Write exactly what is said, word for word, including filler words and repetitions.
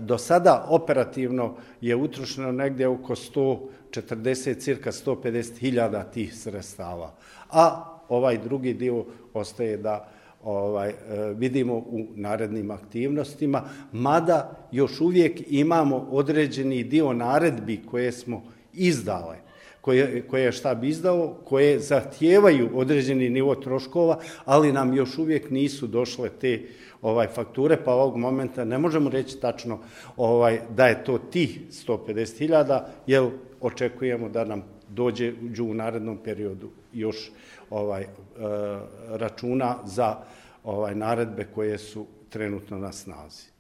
do sada operativno je utrošeno negdje oko sto četrdeset, cirka sto pedeset hiljada tih sredstava. A ovaj drugi dio ostaje da ovaj, vidimo u narednim aktivnostima, mada još uvijek imamo određeni dio naredbi koje smo izdale, koje, koje je štab izdao, koje zahtijevaju određeni nivo troškova, ali nam još uvijek nisu došle te ovaj, fakture, pa ovog momenta ne možemo reći tačno ovaj, da je to tih sto pedeset hiljada, jer očekujemo da nam dođe u narednom periodu još ovaj, e, računa za ovaj, naredbe koje su trenutno na snazi.